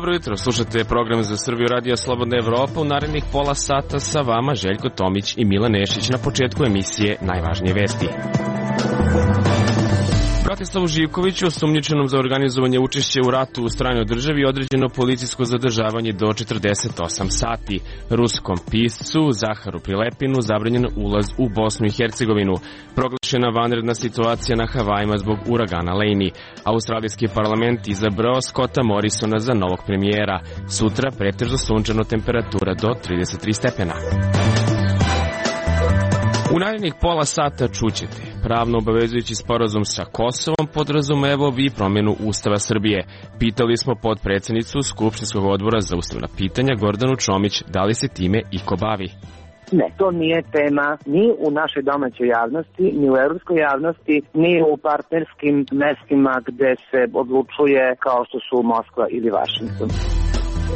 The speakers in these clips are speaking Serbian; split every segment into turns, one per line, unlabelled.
Dobro jutro, slušate program za Srbiju Radio Slobodna Evropa. U narednih pola sata sa vama Željko Tomić i Milan Nešić. Na početku emisije najvažnije vesti. Bratislavu Živkoviću, osumnjičenom za organizovanje učešća u ratu u stranoj državi, određeno policijsko zadržavanje do 48 sati. Ruskom piscu Zaharu Prilepinu zabranjen ulaz u Bosnu i Hercegovinu. Proglašena vanredna situacija na Havajima zbog uragana Lejni. Australijski parlament izabrao Scotta Morrisona za novog premijera. Sutra pretežno sunčano, temperatura do 33 stepena. U narednih pola sata čućete. Pravno obavezujući sporazum sa Kosovom podrazumevao bi promjenu Ustava Srbije. Pitali smo potpredsjednicu Skupštinskog odbora za ustavna pitanja Gordanu Čomić da li se time iko bavi.
Ne, to nije tema ni u našoj domaćoj javnosti, ni u evropskoj javnosti, ni u partnerskim mestima gde se odlučuje kao što su Moskva ili Vašington.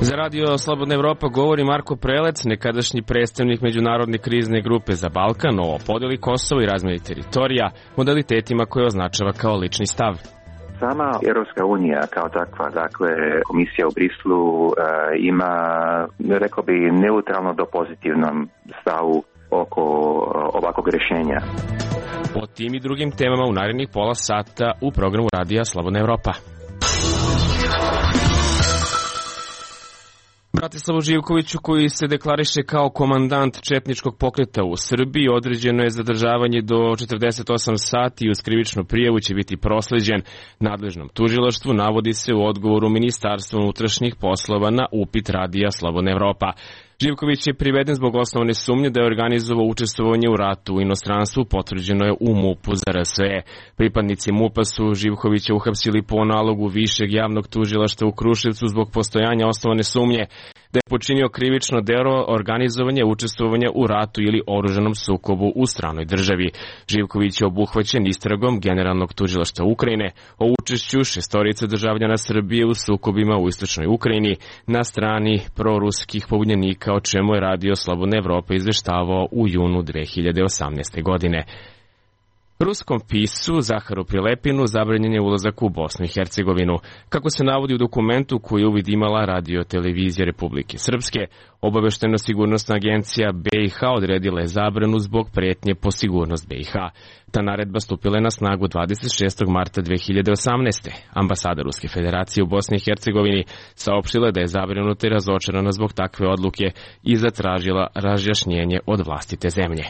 Za Radio Slobodna Evropa govori Marko Prelec, nekadašnji predstavnik Međunarodne krizne grupe za Balkan, o podeli Kosova i razmjeni teritorija, modalitetima koje označava kao lični stav.
Sama Europska unija kao takva, dakle komisija u Brislu ima, rekao bi, neutralno do pozitivnom stavu oko ovakvog rješenja.
O tim i drugim temama u narednih pola sata u programu Radija Slobodna Evropa. Bratislavu Živkoviću, koji se deklariše kao komandant četničkog pokreta u Srbiji, određeno je zadržavanje do 48 sati i uz krivičnu prijavu će biti prosleđen nadležnom tužilaštvu, navodi se u odgovoru Ministarstva unutrašnjih poslova na upit Radija Slobodna Evropa. Živković je priveden zbog osnovne sumnje da je organizovao učestvovanje u ratu u inostranstvu, potvrđeno je u MUP-u za RSE. Pripadnici MUP-a su Živkovića uhapsili po nalogu Višeg javnog tužilaštva u Kruševcu zbog postojanja osnovane sumnje da je počinio krivično delo organizovanja učestvovanja u ratu ili oružanom sukobu u stranoj državi. Živković je obuhvaćen istragom Generalnog tužilaštva Ukrajine o učešću šestorice državljana Srbije u sukobima u istočnoj Ukrajini na strani proruskih pobunjenika, o čemu je Radio Slobodna Evropa izveštavao u junu 2018. godine. Ruskom piscu Zaharu Prilepinu zabranjen je ulazak u Bosnu i Hercegovinu. Kako se navodi u dokumentu koji je uvid imala Radio-televizija Republike Srpske, Obaveštajno-sigurnosna agencija BiH odredila je zabranu zbog prijetnje po sigurnost BiH. Ta naredba stupila je na snagu 26. marta 2018. Ambasada Ruske federacije u Bosni i Hercegovini saopštila je da je zabrinuta i razočarana zbog takve odluke i zatražila razjašnjenje od vlastite zemlje.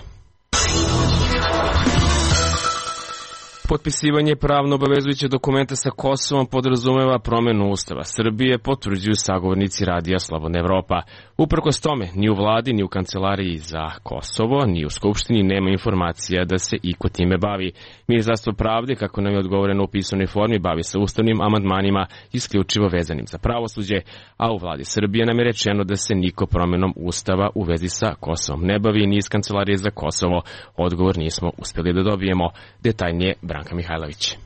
Potpisivanje pravno obavezujućeg dokumenta sa Kosovom podrazumeva promjenu Ustava Srbije, potvrđuju sagovornici Radija Slobodna Evropa. Uprkos tome, ni u vladi, ni u kancelariji za Kosovo, ni u Skupštini nema informacija da se iko time bavi. Ministarstvo pravde, kako nam je odgovoreno u pisanoj formi, bavi se ustavnim amandmanima isključivo vezanim za pravosuđe, a u vladi Srbije nam je rečeno da se niko promjenom Ustava u vezi sa Kosovom ne bavi, ni iz kancelarije za Kosovo. Odgovor nismo uspjeli da dobijemo. Detaljnije Branka Mihajlović.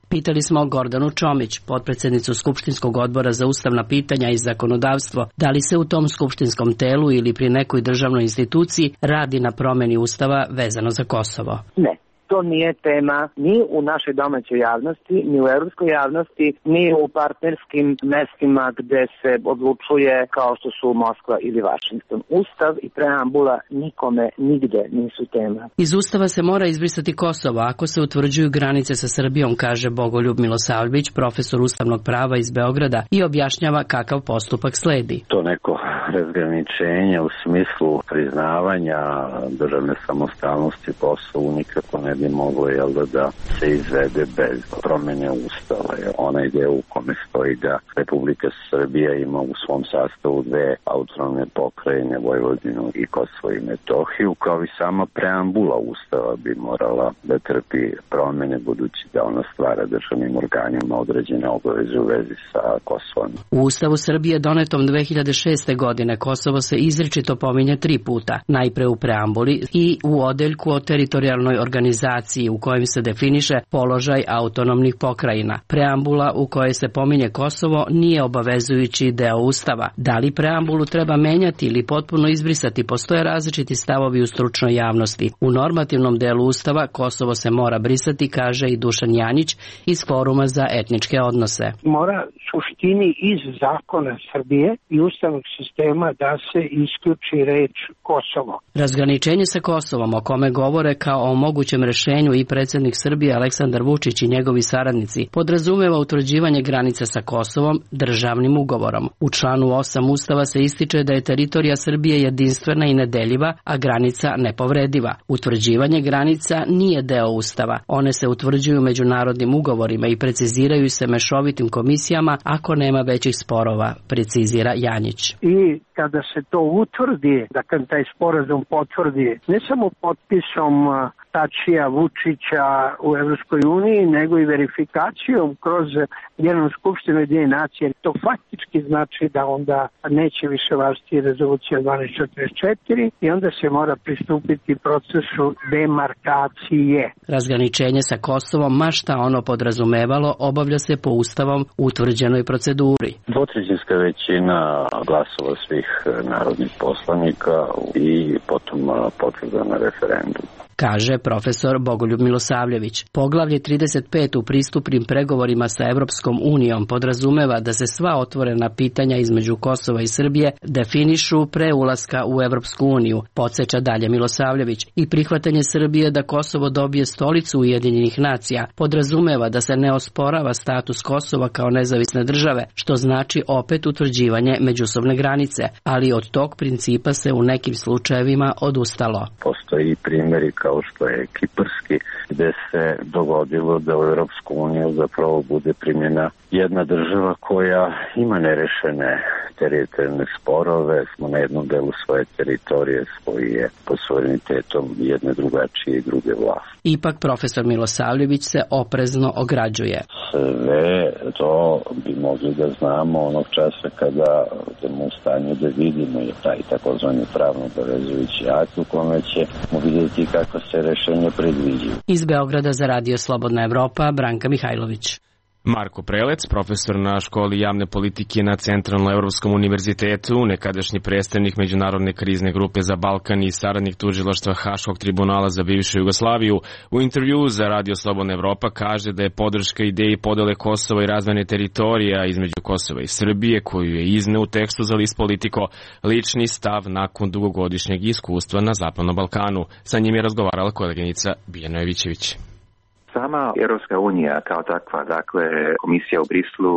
Pitali smo Gordanu Čomić, potpredsjednicu Skupštinskog odbora za ustavna pitanja i zakonodavstvo, da li se u tom skupštinskom telu ili pri nekoj državnoj instituciji radi na promjeni Ustava vezano za Kosovo.
Ne. To nije tema ni u našoj domaćoj javnosti, ni u evropskoj javnosti, ni u partnerskim mestima gde se odlučuje kao što su Moskva ili Vašington. Ustav i preambula nikome nigde nisu tema.
Iz Ustava se mora izbrisati Kosovo ako se utvrđuju granice sa Srbijom, kaže Bogoljub Milosavljević, profesor ustavnog prava iz Beograda, i objašnjava kakav postupak sledi.
To neko razgraničenje u smislu priznavanja državne samostalnosti Kosovu nikako ne bi moglo da se izvede bez promjene Ustava. Onaj deo u kome stoji da Republika Srbija ima u svom sastavu dve autonomne pokrajine, Vojvodinu i Kosovo i Metohiju, kao i sama preambula Ustava bi morala da trpi promjene, budući da ona stvara državnim organima određene obaveze u vezi sa Kosovom.
U Ustavu Srbije donetom 2006. godine Kosovo se izričito pominje 3 puta. Najpre u preambuli i u odeljku o teritorijalnoj organizaciji dokumentaciji u kojim se definiše položaj autonomnih pokrajina. Preambula u kojoj se pominje Kosovo nije obavezujući deo Ustava. Da li preambulu treba menjati ili potpuno izbrisati, postoje različiti stavovi u stručnoj javnosti. U normativnom delu Ustava Kosovo se mora brisati, kaže i Dušan Janjić iz Foruma za etničke odnose.
Mora suštini iz zakona Srbije i ustavnog sistema da se isključi reč Kosovo.
Razgraničenje sa Kosovom, o kome govore kao o mogućem rešenju i predsjednik Srbije Aleksandar Vučić i njegovi saradnici, podrazumeva utvrđivanje granica sa Kosovom državnim ugovorom. U članu 8 Ustava se ističe da je teritorija Srbije jedinstvena i nedeljiva, a granica nepovrediva. Utvrđivanje granica nije deo Ustava. One se utvrđuju međunarodnim ugovorima i preciziraju se mešovitim komisijama ako nema većih sporova, precizira Janjić.
I kada se to utvrdi, da kad taj sporazum potvrdi, ne samo potpisom Tačija, Vučića u Evropskoj uniji, nego i verifikacijom kroz Generalnu skupštinu Ujedinjenih nacija. To faktički znači da onda neće više važiti rezolucija 1244 i onda se mora pristupiti procesu demarkacije.
Razgraničenje sa Kosovom, ma šta ono podrazumevalo, obavlja se po Ustavom utvrđenoj proceduri.
Dvotrećinska većina glasova svih narodnih poslanika i potom potvrda na referendum,
kaže profesor Bogoljub Milosavljević. Poglavlje 35 u pristupnim pregovorima sa Evropskom unijom podrazumeva da se sva otvorena pitanja između Kosova i Srbije definišu pre ulaska u Evropsku uniju, podsjeća dalje Milosavljević. I prihvatanje Srbije da Kosovo dobije stolicu Ujedinjenih nacija podrazumeva da se ne osporava status Kosova kao nezavisne države, što znači opet utvrđivanje međusobne granice, ali od tog principa se u nekim slučajevima odustalo.
Postoji primjeri kao što je kiparski, gde se dogodilo da u Europsku uniju zapravo bude primjena jedna država koja ima nerešene teritorijalne sporove, smo na jednom delu svoje teritorije koji je pod suverenitetom jedne drugačije i druge vlasti.
Ipak profesor Milosavljević se oprezno ograđuje.
Sve to bi mogli da znamo onog časa kada budemo u stanju da vidimo je taj takozvani pravno obavezujući akt u kome ćemo vidjeti kako se rešenja predviđaju.
Iz Beograda za Radio Slobodna Evropa, Branka Mihajlović.
Marko Prelec, profesor na školi javne politike na Centralno-Evropskom univerzitetu, nekadašnji predstavnik Međunarodne krizne grupe za Balkan i saradnik tužilaštva Haškog tribunala za bivšu Jugoslaviju, u intervjuu za Radio Slobodna Evropa kaže da je podrška ideji podele Kosova i razvojne teritorija između Kosova i Srbije, koju je izneo u tekstu za list Politiko, lični stav nakon dugogodišnjeg iskustva na Zapadnom Balkanu. Sa njim je razgovarala koleginica Biljana Jovićević.
Sama Europska unija kao takva, dakle komisija u Brislu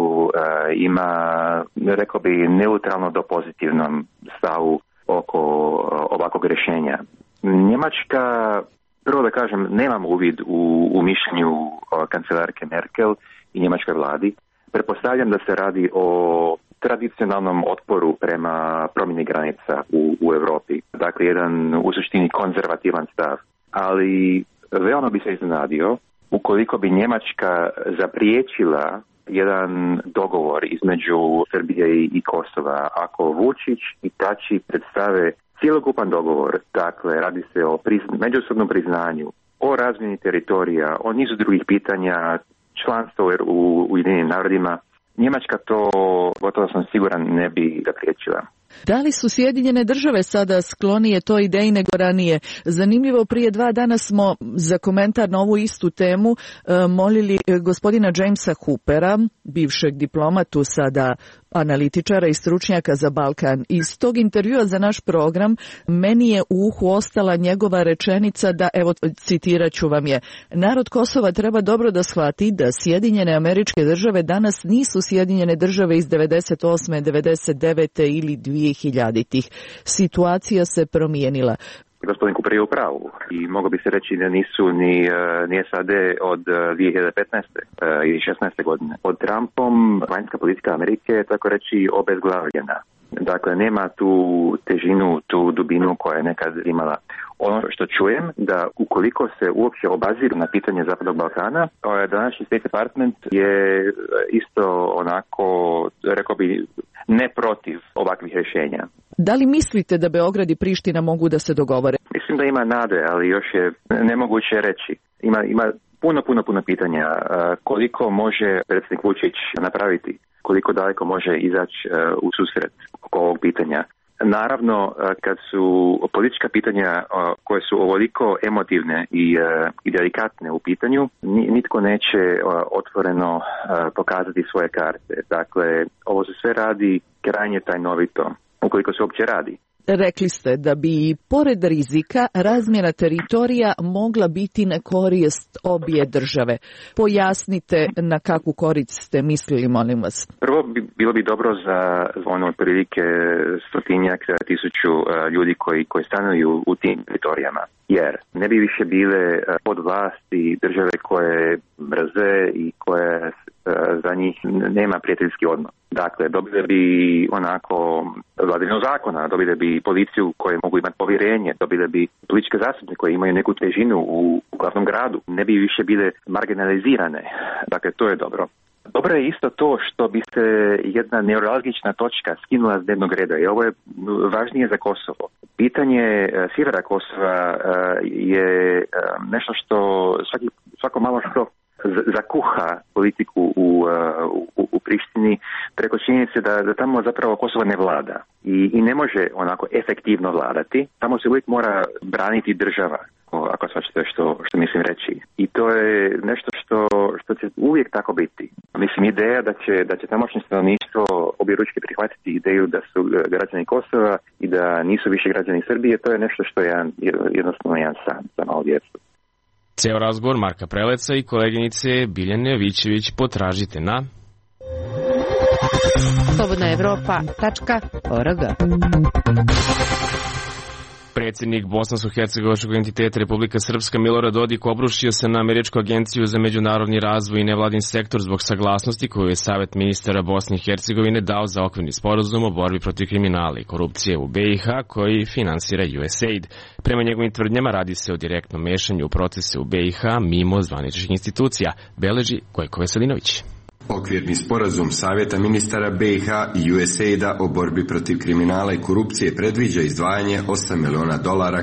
ima, rekao bi, neutralno do pozitivnom stavu oko ovakvog rješenja. Njemačka, prvo da kažem, nemam uvid u mišljenju kancelarke Merkel i njemačkoj vladi. Pretpostavljam da se radi o tradicionalnom otporu prema promjeni granica u Europi. Dakle, jedan u suštini konzervativan stav. Ali veoma bi se iznenadio ukoliko bi Njemačka zapriječila jedan dogovor između Srbije i Kosova. Ako Vučić i Tači predstave cjelokupan dogovor, dakle radi se o međusobnom priznanju, o razmjeni teritorija, o nizu drugih pitanja, članstvo u Ujedinjenim narodima, Njemačka to, gotovo sam siguran, ne bi zapriječila.
Da li su Sjedinjene države sada sklonije toj ideji nego ranije? Zanimljivo, prije 2 dana smo za komentar na ovu istu temu molili gospodina Jamesa Hoopera, bivšeg diplomatu, sada analitičara i stručnjaka za Balkan. Iz tog intervjua za naš program meni je u uhu ostala njegova rečenica da, evo citirat ću vam je, narod Kosova treba dobro da shvati da Sjedinjene Američke Države danas nisu Sjedinjene Države iz 98. 99. ili 2000-ih. Situacija se promijenila.
Gospodin Cooper je u pravu i moglo bi se reći da nisu ni SAD od 2015. i 16. godine. Pod Trumpom vanjska politika Amerike je tako reći obezglavljena. Dakle, nema tu težinu, tu dubinu koja je nekad imala. Ono što čujem da ukoliko se uopće obaziru na pitanje Zapadnog Balkana, današnji State Department je isto onako, rekao bi, ne protiv ovakvih rješenja.
Da li mislite da Beograd i Priština mogu da se dogovore?
Mislim da ima nade, ali još je nemoguće reći. Ima puno pitanja. Koliko može predsjednik Vučić napraviti? Koliko daleko može izaći u susret oko ovog pitanja? Naravno, kad su politička pitanja koje su ovoliko emotivne i delikatne u pitanju, nitko neće otvoreno pokazati svoje karte. Dakle, ovo se sve radi krajnje tajnovito, ukoliko se uopće radi.
Rekli ste da bi, pored rizika, razmjena teritorija mogla biti na korist obje države. Pojasnite na kakvu korist ste mislili, molim vas.
Prvo, bilo bi dobro za ono otprilike 100.000 ljudi koji stanuju u tim teritorijama. Jer ne bi više bile pod vlasti države koje mrze i koje za njih nema prijateljski odnos. Dakle, dobili bi onako vladavinu zakona, dobili bi policiju koje mogu imati povjerenje, dobili bi političke zastupnike koje imaju neku težinu u glavnom gradu. Ne bi više bile marginalizirane. Dakle, to je dobro. Dobro je isto to što bi se jedna neuralgična točka skinula s dnevnog reda i ovo je važnije za Kosovo. Pitanje sjevera Kosova je nešto što svako malo što zakuha politiku u Prištini preko činjenice da tamo zapravo Kosovo ne vlada i ne može onako efektivno vladati. Tamo se uvijek mora braniti država, ako svačate što mislim reći. I to je nešto što će uvijek tako biti. Mislim, ideja da će tamošnje stanovništvo objeručke prihvatiti ideju da su građani Kosova i da nisu više građani Srbije, to je nešto što je jednostavno jedan san za malo djecu.
Ceo razgovor Marka Preleca i koleginice Biljane Jovićević potražite na slobodnaevropa.org. Predsjednik bosansko-hercegovačkog entiteta Republika Srpska Milorad Dodik obrušio se na Američku agenciju za međunarodni razvoj i nevladin sektor zbog saglasnosti koju je Savet ministara Bosne i Hercegovine dao za okvirni sporazum o borbi protiv kriminala i korupcije u BiH koji finansira USAID. Prema njegovim tvrdnjama radi se o direktnom mešanju u procese u BiH mimo zvaničnih institucija, beleži Gojko Veselinović.
Okvirni sporazum Savjeta ministara BiH i USAID-a o borbi protiv kriminala i korupcije predviđa izdvajanje $8 miliona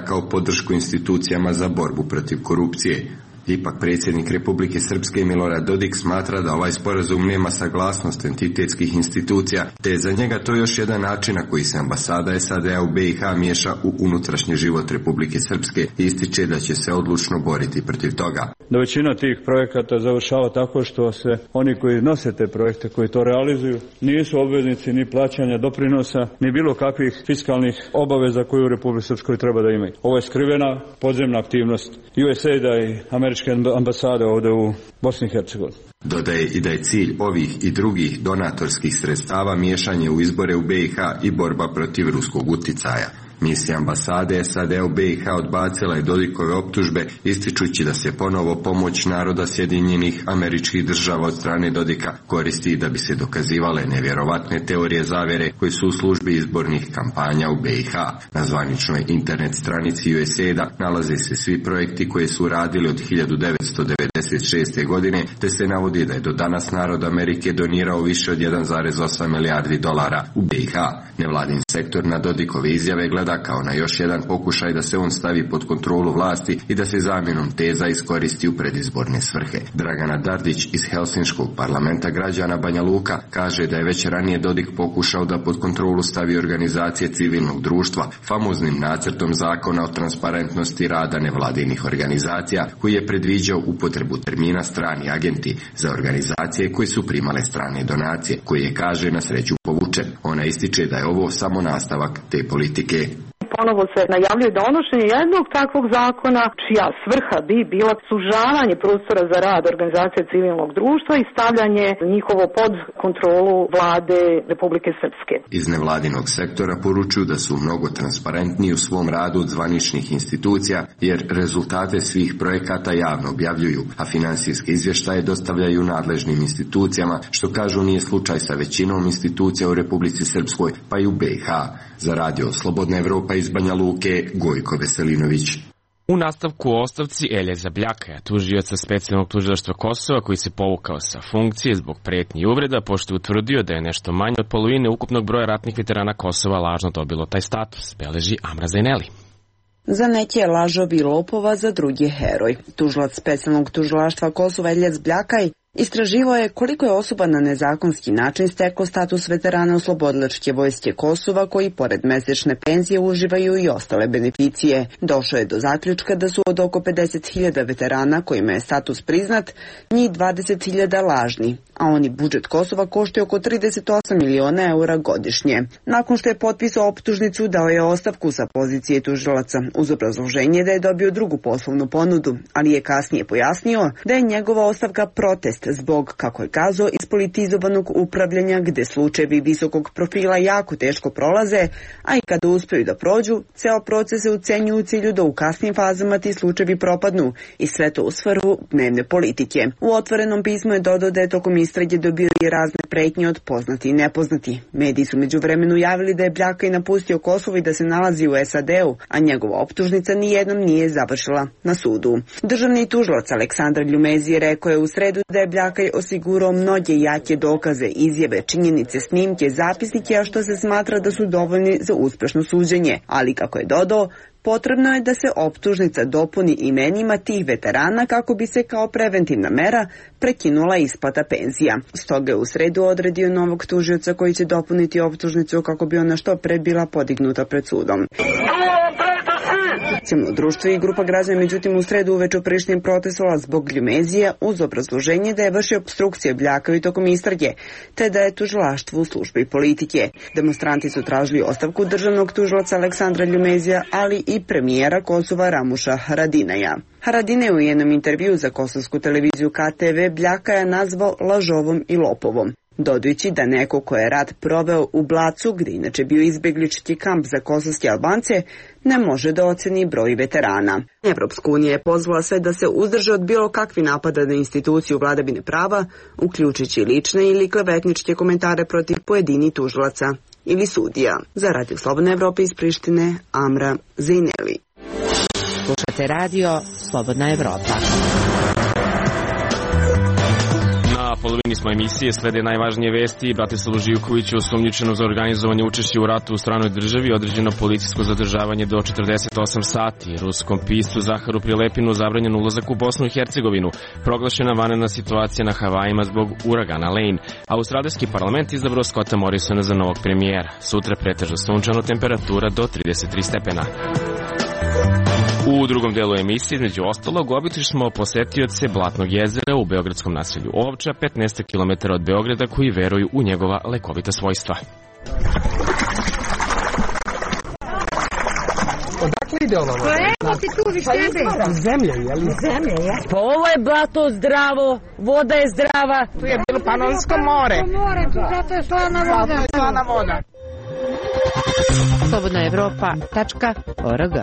kao podršku institucijama za borbu protiv korupcije. Ipak predsjednik Republike Srpske Milorad Dodik smatra da ovaj sporazum nema saglasnost entitetskih institucija, te je za njega to još jedan način na koji se ambasada SAD-a u BiH miješa u unutrašnji život Republike Srpske i ističe da će se odlučno boriti protiv toga.
Da većina tih projekata završava tako što se oni koji nose te projekte, koji to realizuju, nisu obveznici ni plaćanja doprinosa, ni bilo kakvih fiskalnih obaveza koje u Republike Srpskoj treba da imaju. Ovo je skrivena podzemna aktivnost USAID-a i američke ambasade ovdje u Bosni i Hercegovini.
Dodaje i da je cilj ovih i drugih donatorskih sredstava miješanje u izbore u BiH i borba protiv ruskog uticaja. Misija ambasade SAD u BiH odbacila je Dodikove optužbe, ističući da se ponovo pomoć naroda Sjedinjenih Američkih Država od strane Dodika koristi da bi se dokazivale nevjerovatne teorije zavjere koje su u službi izbornih kampanja u BiH. Na zvaničnoj internet stranici USAID-a nalaze se svi projekti koje su radili od 1996. godine, te se navodi da je do danas narod Amerike donirao više od $1,8 milijardi u BiH. Nevladin sektor na Dodikove izjave gleda kao na još jedan pokušaj da se on stavi pod kontrolu vlasti i da se zamjenom teza iskoristi u predizborne svrhe. Dragana Dardić iz Helsinškog parlamenta građana Banja Luka kaže da je već ranije Dodik pokušao da pod kontrolu stavi organizacije civilnog društva famoznim nacrtom zakona o transparentnosti rada nevladinih organizacija koji je predviđao upotrebu termina strani agenti za organizacije koje su primale strane donacije, koji je, kaže, na sreću povučen. Ona ističe da je ovo samo nastavak te politike.
Ponovo se najavljuje donošenje jednog takvog zakona čija svrha bi bila sužavanje prostora za rad organizacije civilnog društva i stavljanje njihovo pod kontrolu vlade Republike Srpske.
Iz nevladinog sektora poručuju da su mnogo transparentniji u svom radu od zvaničnih institucija jer rezultate svih projekata javno objavljuju, a finansijske izvještaje dostavljaju nadležnim institucijama, što kažu nije slučaj sa većinom institucija u Republici Srpskoj pa i u BiH. Za radio Slobodna Evropa iz Banja Luke, Gojko Veselinović.
U nastavku o ostavci Elje Zabljakaja, tužioca specijalnog tužilaštva Kosova koji se povukao sa funkcije zbog pretnji i uvreda, pošto je utvrdio da je nešto manje od polovine ukupnog broja ratnih veterana Kosova lažno dobilo taj status, beleži Amra Zaineli.
Za neke je lažov i lopova, za drugi heroj. Tužilac specijalnog tužilaštva Kosova Eljac Bljakaj istraživao je koliko je osoba na nezakonski način steklo status veterana Oslobodilačke vojske Kosova koji pored mesečne penzije uživaju i ostale beneficije. Došao je do zaključka da su od oko 50.000 veterana kojima je status priznat, njih 20.000 lažni, a oni budžet Kosova koštaju oko 38 miliona eura godišnje. Nakon što je potpisao optužnicu, dao je ostavku sa pozicije tužilaca uz obrazloženje da je dobio drugu poslovnu ponudu, ali je kasnije pojasnio da je njegova ostavka protest zbog, kako je kazao, ispolitizovanog upravljanja gde slučajevi visokog profila jako teško prolaze, a i kada uspeju da prođu, ceo proces se ucenju u cilju da u kasnim fazama ti slučajevi propadnu i sve to u svrhu dnevne politike. U otvorenom pismu je dodao da je tokom istrage dobio i razne pretnje od poznati i nepoznati. Mediji su međuvremenu javili da je Bljakaj napustio Kosovo i da se nalazi u SAD-u, a njegova optužnica nijednom nije završila na sudu. Državni tužilac Aleksandar Ljumezi rekao je u sredu da je Bljakaj osigurao mnoge jake dokaze, izjave, činjenice, snimke, zapisnike, a što se smatra da su dovoljni za uspešno suđenje. Ali, kako je dodao, potrebno je da se optužnica dopuni imenima tih veterana kako bi se kao preventivna mera prekinula isplata penzija. Stoga je u sredu odredio novog tužioca koji će dopuniti optužnicu kako bi ona što pre bila podignuta pred sudom. Civilno društvo i grupa građana međutim u sredu uveče u Prištini protestovala zbog Ljumezija uz obrazloženje da je vršio opstrukcije Bljakaju tokom istrage, te da je tužilaštvo u službi politike. Demonstranti su tražili ostavku državnog tužilaca Aleksandra Ljumezija, ali i premijera Kosova Ramuša Haradinaja. Haradinaj je u jednom intervju za kosovsku televiziju KTV Bljakaja nazvao lažovom i lopovom, dodajući da neko ko je rat proveo u Blacu, gde inače bio izbeglički kamp za kosovske Albance, ne može da oceni broj veterana. Evropska unija je pozvala sve da se uzdrže od bilo kakvi napada na instituciju vladavine prava, uključujući lične ili klevetničke komentare protiv pojedinih tužilaca ili sudija. Za Radio Slobodna Evropa iz Prištine, Amra Zejneli.
Slušate radio Slobodna Evropa.
Na polovini smo emisije, slede najvažnije vesti. Bratislavu Živkoviću, osumnjičeno za organizovanje učešća u ratu u stranoj državi, određeno policijsko zadržavanje do 48 sati. Ruskom piscu Zaharu Prilepinu zabranjen ulazak u Bosnu i Hercegovinu. Proglašena vanredna situacija na Havajima zbog uragana Lane. Australijski parlament izabrao Scotta Morrisona za novog premijera. Sutra pretežno sunčano, temperatura do 33 stepena. U drugom delu emisije, između ostalog, obišli smo posetioce Blatnog jezera u beogradskom naselju Ovča, 15 km od Beograda, koji veruju u njegova lekovita svojstva.
Odakle ide ova voda?
Evo ti tu viš tebe.
Zemlje, jel?
Zemlje, je.
Pa ovo je blato zdravo, voda je zdrava.
Tu je bilo Panonsko more.
Tu zato je slana voda.
slobodnaevropa.org.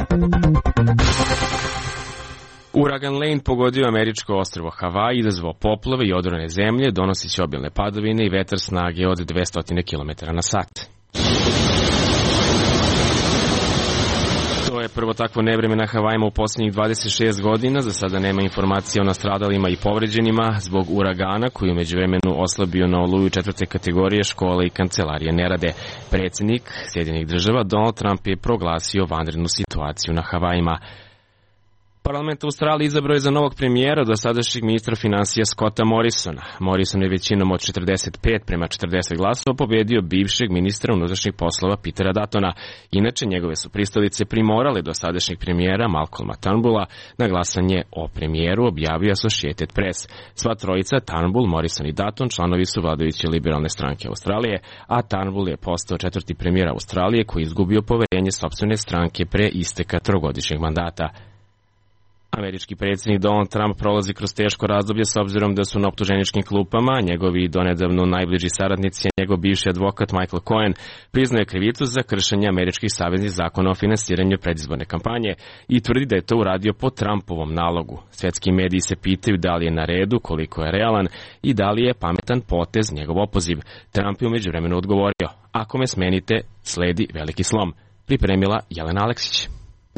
Uragan Lane pogodio američko ostrvo Havaji, izazvao poplave i odorene zemlje, donosiće obilne padavine i vetar snage od 200 km na sat. To je prvo takvo nevreme na Havajima u posljednjih 26 godina. Za sada nema informacija o nastradalima i povređenima zbog uragana koji u međuvremenu oslabio na oluju 4. kategorije. Škole i kancelarije ne rade. Predsjednik Sjedinjenih država Donald Trump je proglasio vanrednu situaciju na Havajima. Parlament Australije izabrao je za novog premijera dosadašnjeg ministra finansija Scotta Morrisona. Morrison je većinom od 45:40 glasova pobedio bivšeg ministra unutrašnjih poslova Petera Duttona. Inače, njegove su pristalice primorale dosadašnjeg premijera Malcolma Turnbulla na glasanje o premijeru, objavio Associated Press. Sva trojica, Turnbull, Morrison i Dutton, članovi su vladajuće liberalne stranke Australije, a Turnbull je postao 4. premijer Australije koji je izgubio poverenje sopstvene stranke pre isteka trogodišnjeg mandata. Američki predsjednik Donald Trump prolazi kroz teško razdoblje s obzirom da su na optuženičkim klupama. Njegovi donedavno najbliži saradnici, njegov bivši advokat Michael Cohen, priznaje krivicu za kršenje američkih saveznih zakona o finansiranju predizborne kampanje i tvrdi da je to uradio po Trumpovom nalogu. Svetski mediji se pitaju da li je na redu, koliko je realan i da li je pametan potez njegov opoziv. Trump je u međuvremenu odgovorio: ako me smenite, sledi veliki slom. Pripremila Jelena Aleksić.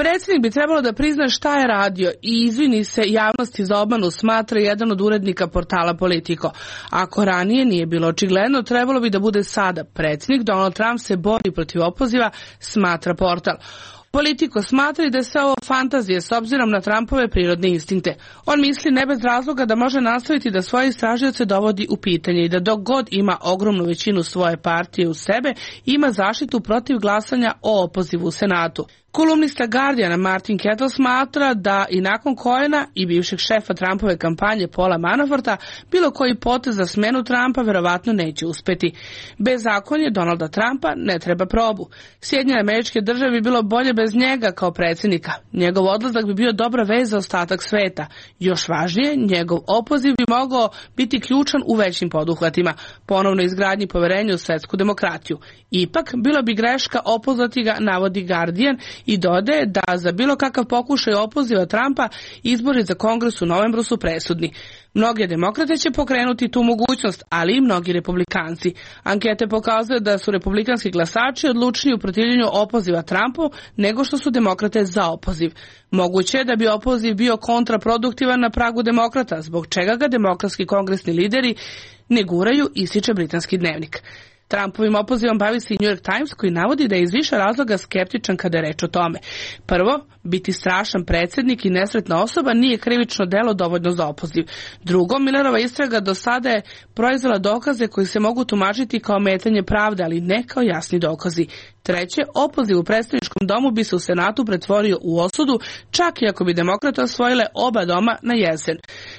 Predsjednik bi trebalo da prizna šta je radio i izvini se javnosti za obmanu, smatra jedan od urednika portala Politico. Ako ranije nije bilo očigledno, trebalo bi da bude sada. Predsjednik Donald Trump se bori protiv opoziva, smatra portal. Politiko smatra da je sve ovo fantazije s obzirom na Trumpove prirodne instinkte. On misli ne bez razloga da može nastaviti da svoje istražioce dovodi u pitanje i da dok god ima ogromnu većinu svoje partije u sebe, ima zaštitu protiv glasanja o opozivu u Senatu. Kolumnista Guardiana Martin Kettle smatra da i nakon Cohena i bivšeg šefa Trumpove kampanje Paula Manaforta bilo koji potez za smenu Trumpa verovatno neće uspeti. Bezakonje Donalda Trumpa ne treba probu. Sjedinjene Američke Države bi bilo bolje bez njega kao predsjednika. Njegov odlazak bi bio dobra vez za ostatak sveta. Još važnije, njegov opoziv bi mogao biti ključan u većim poduhvatima, ponovno izgradnji poverenja u svetsku demokratiju. Ipak, bilo bi greška opozvati ga, navodi Guardian, i dodaje da za bilo kakav pokušaj opoziva Trumpa izbori za Kongres u novembru su presudni. Mnoge demokrate će pokrenuti tu mogućnost, ali i mnogi republikanci. Ankete pokazuju da su republikanski glasači odlučniji u protivljenju opoziva Trumpu nego što su demokrate za opoziv. Moguće je da bi opoziv bio kontraproduktivan na pragu demokrata, zbog čega ga demokratski kongresni lideri ne guraju, ističe britanski dnevnik. Trumpovim opozivom bavi se i New York Times, koji navodi da je iz više razloga skeptičan kada je reč o tome. Prvo, biti strašan predsjednik i nesretna osoba nije krivično delo dovoljno za opoziv. Drugo, Millerova istraga do sada je proizvela dokaze koji se mogu tumačiti kao ometanje pravde, ali ne kao jasni dokazi. Treće, opoziv u predstavničkom domu bi se u Senatu pretvorio u osudu, čak i ako bi demokrate osvojile oba doma na jesen.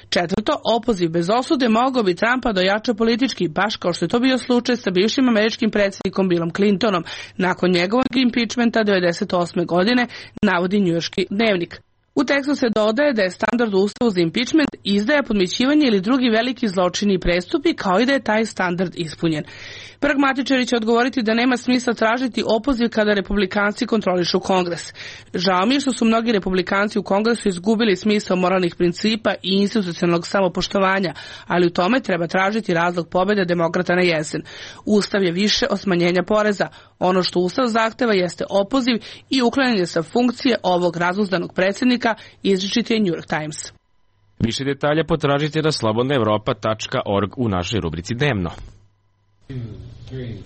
Četvrto, opoziv bez osude mogao bi Trumpa dojača politički, baš kao što je to bio slučaj sa bivšim američkim predsjednikom Billom Clintonom nakon njegovog impeachmenta 1998. godine, navodi njujorški dnevnik. U tekstu se dodaje da je standard u Ustavu za impeachment izdaja, podmićivanje ili drugi veliki zločini i prestupi, kao i da je taj standard ispunjen. Pragmatičari će odgovoriti da nema smisla tražiti opoziv kada republikanci kontrolišu Kongres. Žao mi je što su mnogi republikanci u Kongresu izgubili smisao moralnih principa i institucionalnog samopoštovanja, ali u tome treba tražiti razlog pobjede demokrata na jesen. Ustav je više od smanjenja poreza. Ono što Ustav zahteva jeste opoziv i uklanjanje sa funkcije ovog razuzdanog predsjednika, izričiti je New York Times.
Više detalja potražite na slobodnaevropa.org u našoj rubrici Dnevno. 2, 3.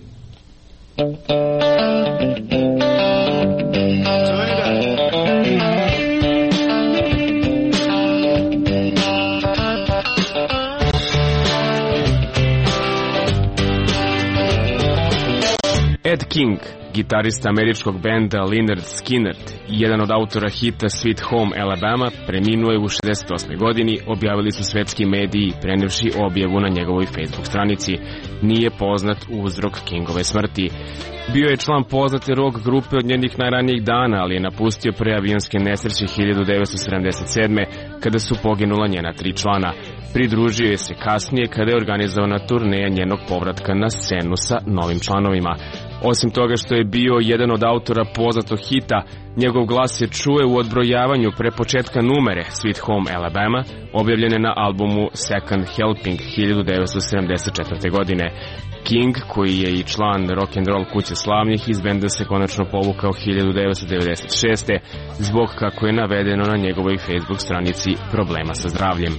Ed King, gitarista američkog benda Lynyrd Skynyrd i jedan od autora hita Sweet Home Alabama, preminuo je u 68. godini, objavili su svetski mediji prenevši objavu na njegovoj Facebook stranici. Nije poznat uzrok Kingove smrti. Bio je član poznate rock grupe od njenih najranijih dana, ali je napustio pre avionske nesreće 1977. kada su poginula njena 3 člana. Pridružio je se kasnije kada je organizovana turneja njenog povratka na scenu sa novim članovima. Osim toga što je bio jedan od autora poznatog hita, njegov glas se čuje u odbrojavanju pre početka numere Sweet Home Alabama, objavljene na albumu Second Helping 1974. godine. King, koji je i član rock'n'roll kuće slavnih, iz benda se konačno povukao 1996. zbog, kako je navedeno na njegovoj Facebook stranici, problema sa zdravljem.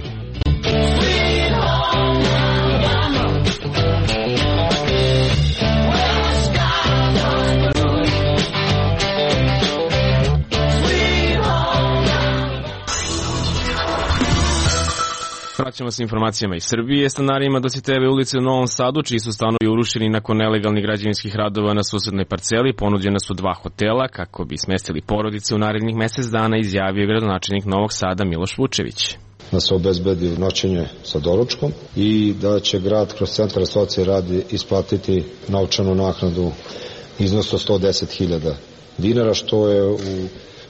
Vraćamo se informacijama iz Srbije. Stanarima Dositejeve ulice u Novom Sadu, čiji su stanovi urušeni nakon nelegalnih građevinskih radova na susednoj parceli, ponuđena su 2 hotela kako bi smestili porodice u narednih mesec dana, izjavio gradonačelnik Novog Sada Miloš Vučević.
Da se obezbedi noćenje sa doručkom i da će grad kroz centar socijalne radi isplatiti novčanu naknadu iznosu od 110.000 dinara, što je u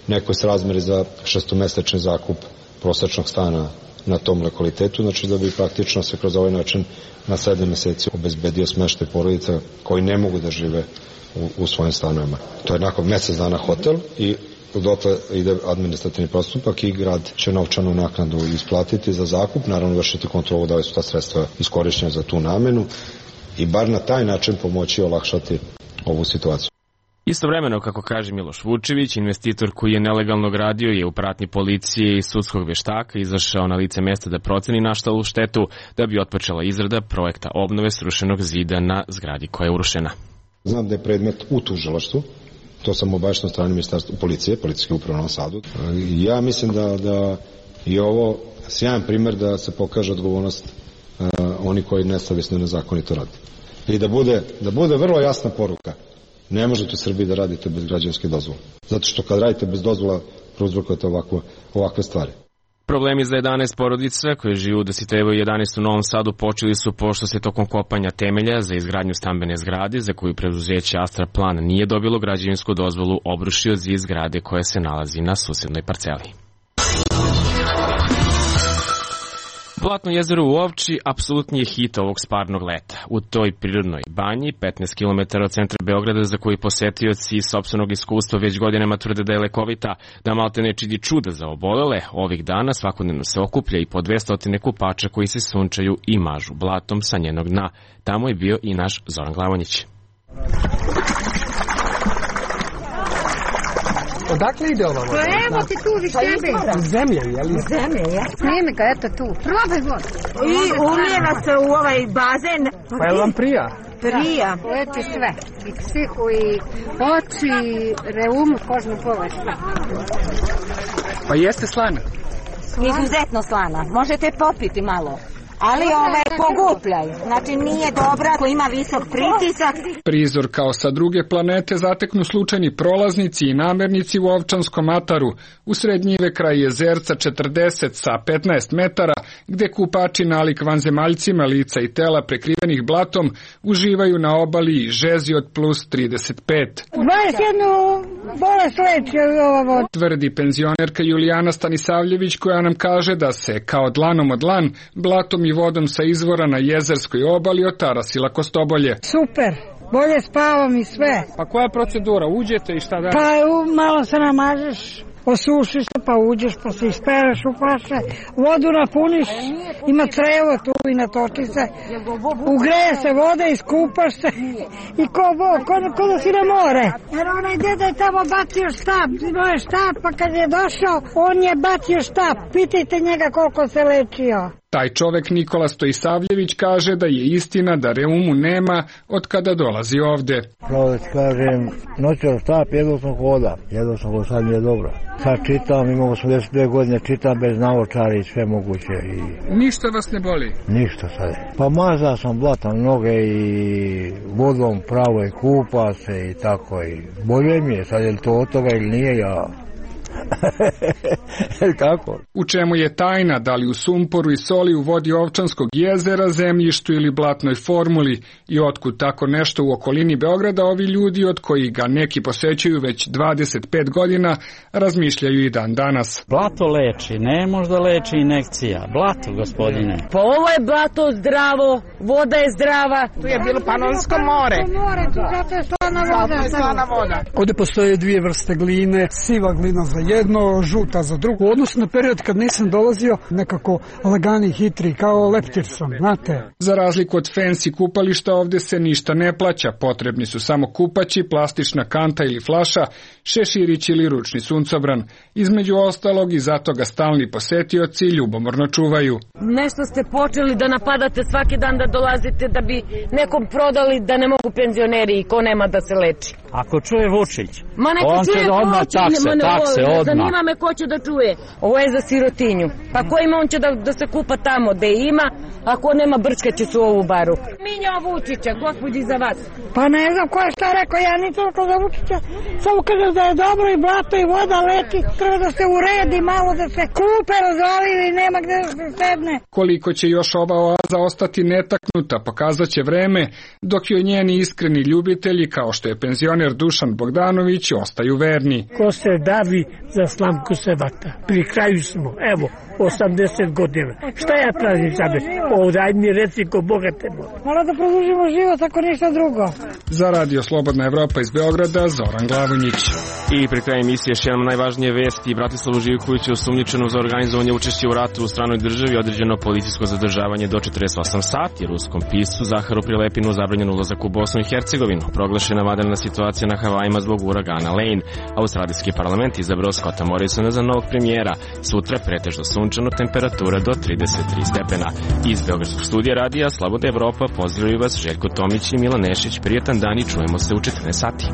nekoj srazmeri za 6-mesečni zakup prosečnog stana na tom lokalitetu, znači da bi praktično se kroz ovaj način na 7 meseci obezbedio smeštaj porodica koji ne mogu da žive u svojim stanovima. To je nakon mesec dana hotel i dotle ide administrativni postupak i grad će novčanu naknadu isplatiti za zakup, naravno vršiti kontrolu da li su ta sredstva iskorišćena za tu namenu i bar na taj način pomoći olakšati ovu situaciju.
Istovremeno, kako kaže Miloš Vučević, investitor koji je nelegalno gradio je u pratnji policije i sudskog veštaka izašao na lice mesta da proceni nastalu štetu da bi otpočela izrada projekta obnove srušenog zida na zgradi koja je urušena.
Znam da je predmet u tužilaštvu To sam obavešten od strane ministarstva policije, policijske uprave u Novom Sadu. Ja mislim da je ovo sjajan primjer da se pokaže odgovornost oni koji nesavjesno i nezakonito rade. I da bude vrlo jasna poruka. Ne možete u Srbiji da radite bez građevinske dozvole. Zato što kad radite bez dozvola, prouzrokujete ovakve stvari.
Problemi za 11 porodica koje žive u Dositejevoj 11 u Novom Sadu počeli su pošto se tokom kopanja temelja za izgradnju stambene zgrade za koju preduzeće Astra Plan nije dobilo građevinsku dozvolu obrušio zid zgrade koja se nalazi na susednoj parceli. Blatno jezero u Ovči apsolutni je hit ovog sparnog leta. U toj prirodnoj banji, 15 km od centra Beograda, za koji posetioci iz sopstvenog iskustva već godinama tvrde da je lekovita, da malte ne čini čuda za obolele, ovih dana svakodnevno se okuplja i po 200 kupača koji se sunčaju i mažu blatom sa njenog dna. Tamo je bio i naš Zoran Glavonjić.
Odakle ide ova voda?
Pa evo ti tu viš tebe.
Zemlje, jel?
Zemlje, ja. Snimi ga, eto tu. Probaj vodu.
I umijeva se u ovaj bazen.
Pa je vam prija?
Prija. Leči sve. I psihu, i oči, i reumu, kožnu površinu.
Pa jeste slana?
Izuzetno slana. Možete popiti malo. Ali pogupljaj. Znači nije dobra ako ima visok pritisak.
Prizor kao sa druge planete zateknu slučajni prolaznici i namernici u Ovčanskom ataru, u srednjive kraj jezerca 40 sa 15 metara, gde kupači nalik vanzemaljcima lica i tela prekrivenih blatom uživaju na obali i žezi od plus 35.
21 bolest leči ova voda.
Tvrdi penzionerka Julijana Stanisavljević, koja nam kaže da se kao dlanom od dlan blatom i vodom sa izvora na jezerskoj obali otarasila Kostobolje.
Super, bolje spavam i sve.
Pa koja je procedura? Uđete i šta da?
Pa malo se namažeš, osušiš se, pa uđeš, pa se ispereš u paše, vodu napuniš, ima crevo tu i natoči se, ugreje se voda, iskupaš se i ko da si na more. Jer onaj deda je tamo bacio štap, imao je štap, pa kad je došao, on je bacio štap, pitajte njega koliko se lečio.
Taj čovek Nikola Stojisavljević kaže da je istina da reumu nema od kada dolazi ovde.
Pravo da ti kažem, noću štap, jedno sam hoda, sad mi je dobro. Sad čitam, imam 82 godine, čitam bez naočara i sve moguće.
Ništa vas ne boli?
Ništa sad. Pa mazao sam blatan noge i vodom pravo i kupa se i tako. I bolje mi je, sad je li to od toga ili nije, ja... Kako?
U čemu je tajna, da li u sumporu i soli u vodi Ovčanskog jezera, zemljištu ili blatnoj formuli, i otkud tako nešto u okolini Beograda ovi ljudi, od kojih ga neki posećuju već 25 godina, razmišljaju i dan danas.
Blato leči, ne možda leči injekcija. Blato, gospodine.
Pa ovo je blato zdravo, voda je zdrava.
Tu je bilo Panonsko more.
Tu zato je slana voda.
Ovde postoje dvije vrste gline, siva glina za jedno, žuta za drugo. U odnosu na period kad nisam dolazio, nekako lagani, hitri, kao leptir sam, znate.
Za razliku od fancy kupališta, ovde se ništa ne plaća. Potrebni su samo kupaći, plastična kanta ili flaša, šeširić ili ručni suncobran. Između ostalog i zato ga stalni posetioci ljubomorno čuvaju.
Nešto ste počeli da napadate svaki dan, da dolazite da bi nekom prodali da ne mogu penzioneri i ko nema da se leči.
Ako čuje Vučić,
ma neka
on će odmah takse, odmah.
Zanima me ko će da čuje. Ovo je za sirotinju. Pa ko ima, on će da se kupa tamo gde ima, ako nema brčkaće su ovu baru. Minja Vučića, gospodi za vas.
Pa ne znam ko je šta rekao, ja nisam rekao za Vučića. Samo kažem da je dobro i blato i voda leti. Treba da se uredi malo, da se kupe, razvalivi i nema gde da se sedne.
Koliko će još ova oaza ostati netaknuta, pokazat će vreme, dok joj njeni iskreni ljubitelji, kao što je penzioner Dušan Bogdanović, ostaju verni.
Ko se davi za slamku se vata. Pri kraju smo, evo, 80 godina. Šta ja tražim sada? Daj mi reci ko bogate mora.
Mora da produžimo život, ako ništa drugo.
Za Radio Slobodna Evropa iz Beograda, Zoran Glavonjić.
I pri kraju emisije još jedan najvažnije vesti. Bratislavu Živkoviću osumnjičeno za organizovanje učešća u ratu u stranoj državi određeno policijsko zadržavanje do 48 sati. Ruskom piscu Zaharu Prilepinu zabranjen ulazak u Bosnu i Hercegovinu. Proglašena vanredna situacija na Havajima zbog uragana Lane. Australijski parlament izabrao Scotta Morrisona za novog premijera. Sutra pretežno sunčano, temperatura do 33 stepena. Iz Beogradskog studija radija Slobodna Evropa pozdravljaju vas Željko Tomić i Milan Nešić. Prijetan dan i čujemo se u 14 sati.